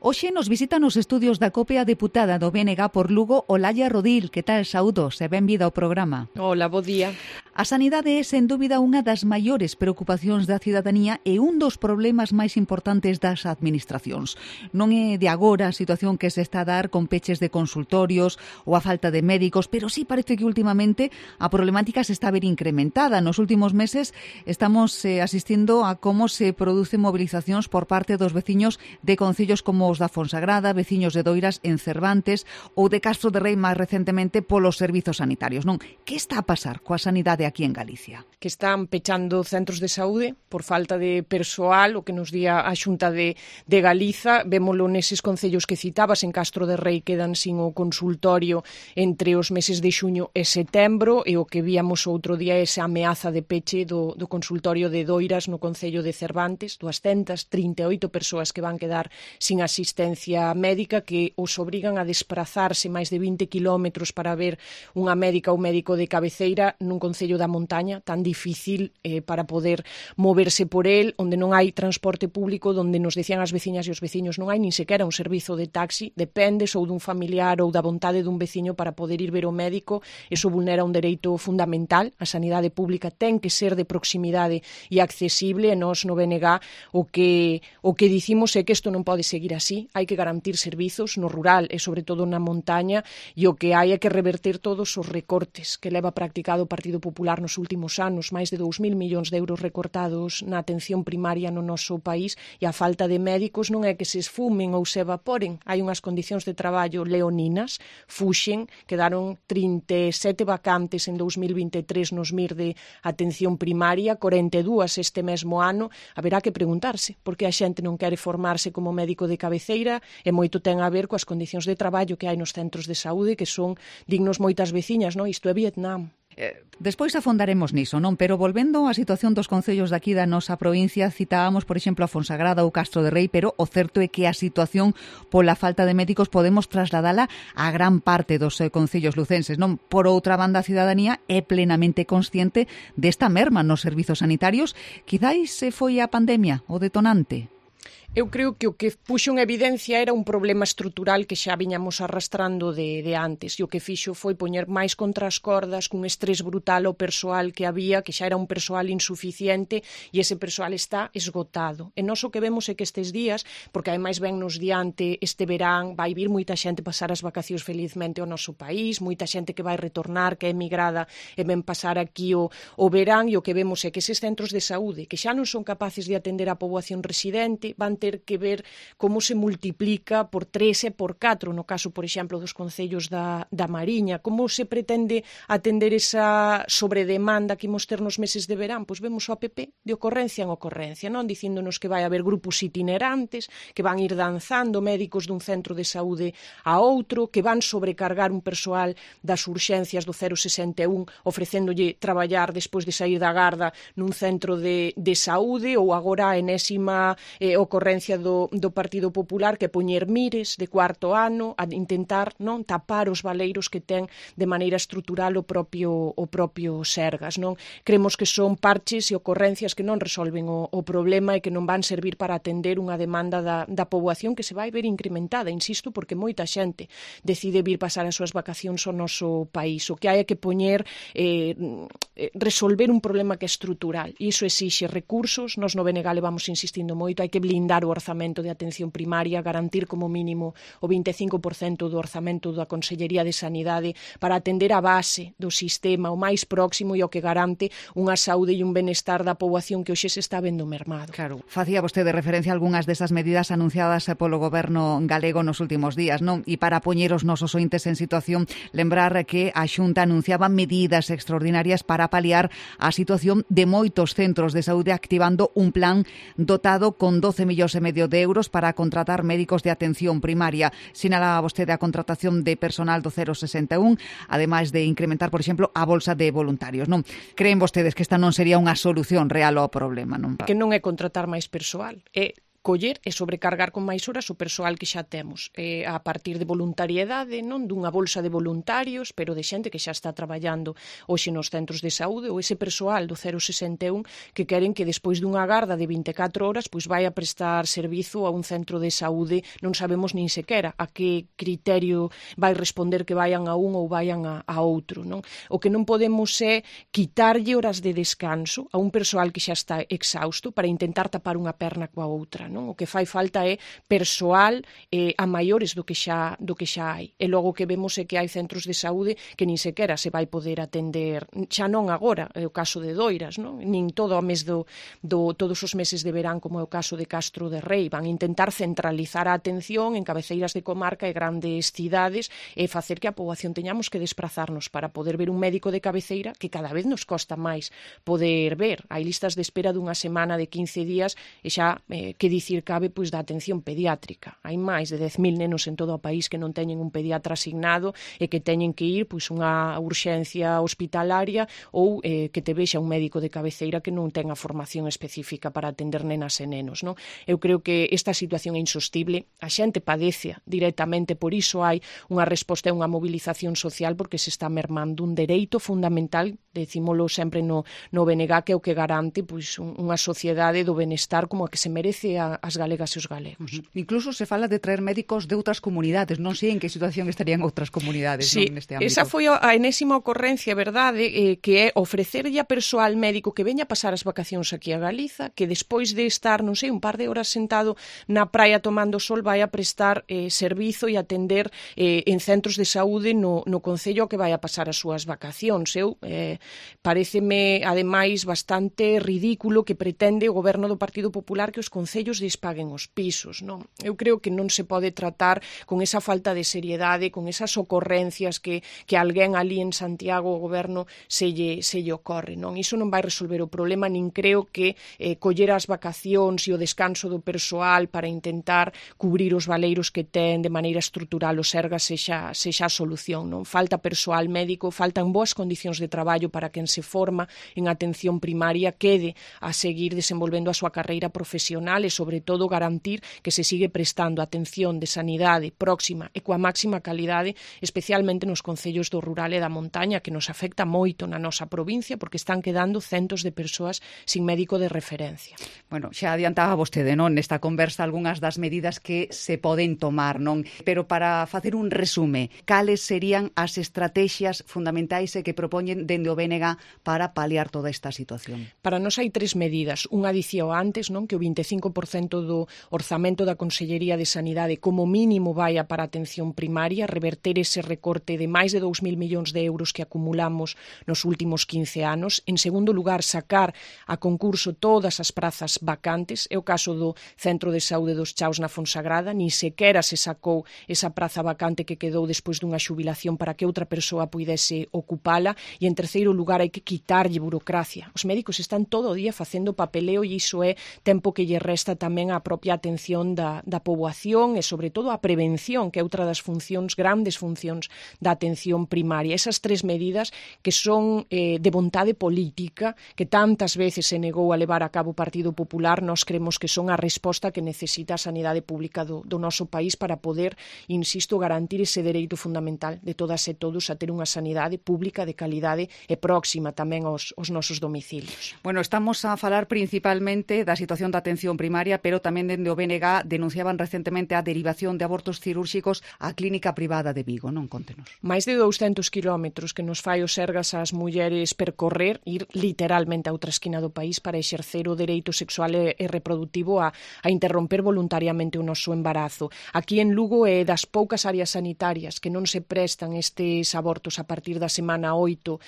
Hoxe nos visitan os estudios da COPE a deputada do BNG por Lugo, Olalla Rodil. Que tal, saúdos e benvida ao programa. Hola, bo día. A sanidade é, sen dúbida, unha das maiores preocupacións da cidadanía e un dos problemas máis importantes das administracións. Non é de agora a situación que se está a dar con peches de consultorios ou a falta de médicos, pero sí parece que últimamente a problemática se está a ver incrementada. Nos últimos meses estamos asistindo a como se producen movilizacións por parte dos veciños de concellos como os da Fonsagrada, veciños de Doiras en Cervantes ou de Castro de Rei máis recentemente polos servizos sanitarios. Non, que está a pasar coa sanidade aquí en Galicia? Que están pechando centros de saúde por falta de persoal, o que nos di a Xunta de Galiza. Vémolo neses concellos que citabas, en Castro de Rei quedan sin o consultorio entre os meses de xuño e setembro, e o que víamos outro día é esa ameaza de peche do consultorio de Doiras no concello de Cervantes, 238 persoas que van quedar sin asistencia médica, que os obrigan a desprazarse máis de 20 kilómetros para ver unha médica ou médico de cabeceira nun concello da montaña tan difícil para poder moverse por el, onde non hai transporte público, onde nos decían as veciñas e os veciños non hai nin sequera un servizo de taxi, dependes ou dun familiar ou da vontade dun veciño para poder ir ver o médico. Eso vulnera un dereito fundamental. A sanidade pública ten que ser de proximidade e accesible, e nós no BNG o que dicimos é que isto non pode seguir así. Hai que garantir servizos no rural e sobre todo na montaña, e o que hai é que reverter todos os recortes que leva practicado o Partido Popular nos últimos anos, máis de 2.000 millóns de euros recortados na atención primaria no noso país, e a falta de médicos non é que se esfumen ou se evaporen. Hai unhas condicións de traballo leoninas, fuxen, quedaron 37 vacantes en 2023 nos MIR de atención primaria, 42 este mesmo ano. Haberá que preguntarse por que a xente non quere formarse como médico de cabeceira, e moito ten a ver coas condicións de traballo que hai nos centros de saúde, que son dignos moitas veciñas, non? Isto é Vietnam. Despois afondaremos niso, non? Pero volvendo á situación dos concellos daqui da nosa provincia, citábamos, por exemplo, a Fonsagrada ou Castro de Rei, pero o certo é que a situación pola falta de médicos podemos trasladala a gran parte dos concellos lucenses, non? Por outra banda, a cidadanía é plenamente consciente desta merma nos servizos sanitarios. Quizáis foi a pandemia o detonante? Eu creo que o que puxo en evidencia era un problema estrutural que xa viñamos arrastrando de antes, e o que fixo foi poñer máis contra as cordas, cun estrés brutal ao persoal que había, que xa era un persoal insuficiente, e ese persoal está esgotado. E nós o que vemos é que estes días, porque ademais ven nos diante este verán, vai vir moita xente pasar as vacacións felizmente ao noso país, moita xente que vai retornar, que é emigrada e ven pasar aquí o verán, e o que vemos é que eses centros de saúde, que xa non son capaces de atender a poboación residente, van ter que ver como se multiplica por 3 e por 4, no caso, por exemplo, dos concellos da Mariña. Como se pretende atender esa sobredemanda que imos ter nos meses de verán? Pois vemos o APP de ocorrencia en ocorrencia, non? Dicíndonos que vai haber grupos itinerantes, que van ir danzando médicos dun centro de saúde a outro, que van sobrecargar un persoal das urxencias do 061, ofrecéndolle traballar despois de sair da garda nun centro de saúde, ou agora a enésima ocorrencia do Partido Popular, que poñer mires de cuarto ano a intentar non tapar os valeiros que ten de maneira estrutural o propio Sergas, non? Cremos que son parches e ocorrencias que non resolven o problema e que non van servir para atender unha demanda da poboación que se vai ver incrementada, insisto, porque moita xente decide vir pasar as súas vacacións ao noso país. O que hai é que poñer resolver un problema que é estrutural, e iso exixe recursos. Nos no BNG levamos insistindo moito, hai que blindar o orzamento de atención primaria, garantir como mínimo o 25% do orzamento da Consellería de Sanidade para atender a base do sistema, o máis próximo, e o que garante unha saúde e un benestar da poboación que hoxe se está vendo mermado. Claro, facía vostede referencia a algunhas desas medidas anunciadas polo goberno galego nos últimos días, non? E para poñer os nosos ointes en situación, lembrar que a Xunta anunciaba medidas extraordinarias para paliar a situación de moitos centros de saúde, activando un plan dotado con 12,5 millóns de euros para contratar médicos de atención primaria. Sinala vostede a contratación de personal do 061, ademais de incrementar, por exemplo, a bolsa de voluntarios, non? Creen vostedes que esta non sería unha solución real ao problema, non? Que non é contratar máis persoal, é coller e sobrecargar con máis horas o persoal que xa temos, a partir de voluntariedade, non dunha bolsa de voluntarios, pero de xente que xa está traballando hoxe nos centros de saúde, ou ese persoal do 061 que queren que despois dunha garda de 24 horas pois vai a prestar servizo a un centro de saúde, non sabemos nin sequera a que criterio vai responder que vayan a un ou vayan a outro, non? O que non podemos é quitarlle horas de descanso a un persoal que xa está exhausto para intentar tapar unha perna coa outra, non? O que fai falta é persoal a maiores do que xa hai. E logo que vemos é que hai centros de saúde que nin sequera se vai poder atender, xa non agora, é o caso de Doiras, non? Nin todo o mes todos os meses de verán, como é o caso de Castro de Rei. Van intentar centralizar a atención en cabeceiras de comarca e grandes cidades e facer que a poboación teñamos que desplazarnos para poder ver un médico de cabeceira que cada vez nos costa máis poder ver. Hai listas de espera dunha semana, de 15 días e xa que dicir cabe pois da atención pediátrica. Hai máis de 10.000 nenos en todo o país que non teñen un pediatra asignado e que teñen que ir pois unha urxencia hospitalaria ou que te vexa un médico de cabeceira que non ten a formación específica para atender nenas e nenos, non? Eu creo que esta situación é insostible, a xente padece directamente, por iso hai unha resposta e unha movilización social porque se está mermando un dereito fundamental, decímolo sempre no BNG, que é o que garante pois unha sociedade do benestar como a que se merece as galegas e os galegos. Incluso se fala de traer médicos de outras comunidades, non sei en que situación estarían outras comunidades, sí, non, neste ámbito. Esa foi a enésima ocorrencia, verdade, que é ofrecerlle a persoal médico que veña a pasar as vacacións aquí a Galiza, que despois de estar, non sei, un par de horas sentado na praia tomando sol, vai a prestar servizo e atender en centros de saúde no concello que vai a pasar as súas vacacións. Paréceme, ademais, bastante ridículo que pretende o goberno do Partido Popular que os concellos lles paguen os pisos, non? Eu creo que non se pode tratar con esa falta de seriedade, con esas ocorrencias que alguén ali en Santiago, o goberno, se lle ocorre, non? Iso non vai resolver o problema, nin creo que coller as vacacións e o descanso do persoal para intentar cubrir os valeiros que ten de maneira estrutural o Sergas sexa a solución, non? Falta persoal médico, faltan boas condicións de traballo para quen se forma en atención primaria quede a seguir desenvolvendo a súa carreira profesional e, sobre todo, garantir que se sigue prestando atención de sanidade próxima e coa máxima calidade, especialmente nos concellos do rural e da montaña, que nos afecta moito na nosa provincia porque están quedando centos de persoas sin médico de referencia. Bueno, xa adiantaba vostede, non, nesta conversa algunhas das medidas que se poden tomar, non? Pero para facer un resume, cales serían as estrategias fundamentais que propoñen dende o BNG para paliar toda esta situación? Para nós hai 3 medidas. Unha dicía antes, non, que o 25% do orzamento da Consellería de Sanidade como mínimo vaia para a atención primaria, reverter ese recorte de máis de 2.000 millóns de euros que acumulamos nos últimos 15 anos. En segundo lugar, sacar a concurso todas as prazas vacantes. É o caso do Centro de Saúde dos Chaos na Fonsagrada, nin sequera se sacou esa praza vacante que quedou despois dunha xubilación para que outra persoa puidese ocupala. E en terceiro lugar, hai que quitarlle burocracia. Os médicos están todo o día facendo papeleo e iso é tempo que lle resta tamén á propia atención da poboación e, sobre todo, a prevención, que é outra das funcións, grandes funcións da atención primaria. Esas 3 medidas que son de vontade política, que tantas veces se negou a levar a cabo o Partido Popular, nós cremos que son a resposta que necesita a sanidade pública do noso país para poder, insisto, garantir ese dereito fundamental de todas e todos a ter unha sanidade pública de calidade e próxima tamén aos nosos domicilios. Bueno, estamos a falar principalmente da situación da atención primaria, pero tamén dende o BNG denunciaban recentemente a derivación de abortos cirúrxicos á clínica privada de Vigo, non? Contenos. Máis de 200 kilómetros que nos fai o Sergas ás mulleres percorrer, ir literalmente a outra esquina do país para exercer o dereito sexual e reprodutivo a interromper voluntariamente o noso embarazo. Aquí en Lugo é das poucas áreas sanitarias que non se prestan estes abortos a partir da semana 8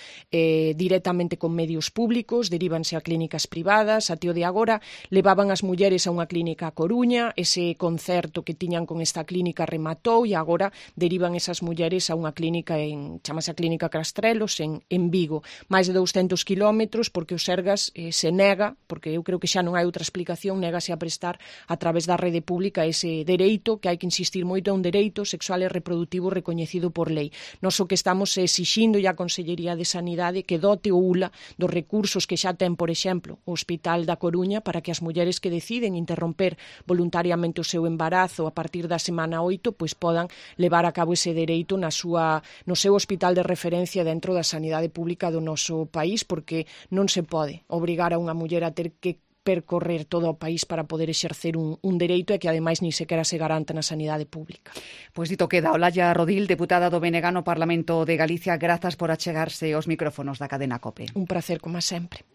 directamente con medios públicos, derívanse a clínicas privadas. A tío de agora levaban as mulleres a unha clínica a Coruña, ese concerto que tiñan con esta clínica rematou e agora derivan esas mulleres a unha clínica chamase a Clínica Castrelos en Vigo. Máis de 200 kilómetros porque o Sergas se nega, porque eu creo que xa non hai outra explicación, negase a prestar a través da rede pública ese dereito, que hai que insistir moito, é un dereito sexual e reprodutivo recoñecido por lei. Nós o que estamos exixindo a Consellería de Sanidade que dote o ULA dos recursos que xa ten, por exemplo, o Hospital da Coruña para que as mulleres que deciden interromper voluntariamente o seu embarazo a partir da semana 8, pois podan levar a cabo ese dereito no seu hospital de referencia dentro da sanidade pública do noso país, porque non se pode obrigar a unha muller a ter que percorrer todo o país para poder exercer un dereito e que ademais ni sequera se garanta na sanidade pública. Pois dito queda, Olalla Rodil, deputada do BNG no Parlamento de Galicia, grazas por achegarse aos micrófonos da cadena COPE. Un placer, como sempre.